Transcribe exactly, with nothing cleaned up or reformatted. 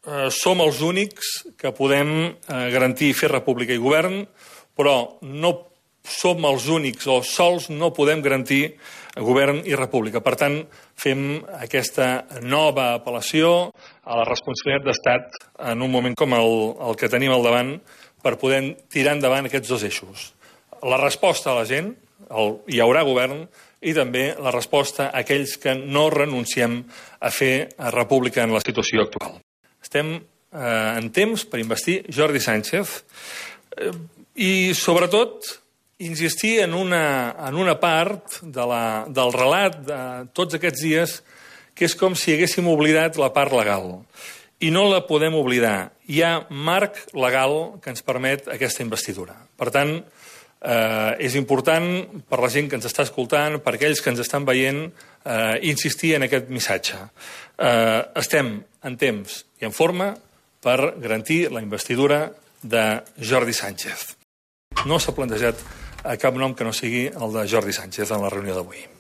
eh, som els únics que podem eh, garantir fer república i govern, però no som els únics o sols no podem garantir govern i república. Per tant, fem aquesta nova apel·lació a la responsabilitat d'Estat en un moment com el, el que tenim al davant per poder tirar endavant aquests dos eixos. La resposta a la gent, el, hi haurà govern, i també la resposta a aquells que no renunciem a fer república en la situació actual. Estem eh, en temps per investir Jordi Sánchez eh, i, sobretot, insistir en una, en una part de la, del relat de tots aquests dies que és com si haguéssim oblidat la part legal. I no la podem oblidar. Hi ha marc legal que ens permet aquesta investidura. Per tant, eh, és important per la gent que ens està escoltant, per aquells que ens estan veient, eh, insistir en aquest missatge. Eh, estem en temps i en forma per garantir la investidura de Jordi Sánchez. No s'ha plantejat a cap nom que no sigui el de Jordi Sánchez en la reunió d'avui.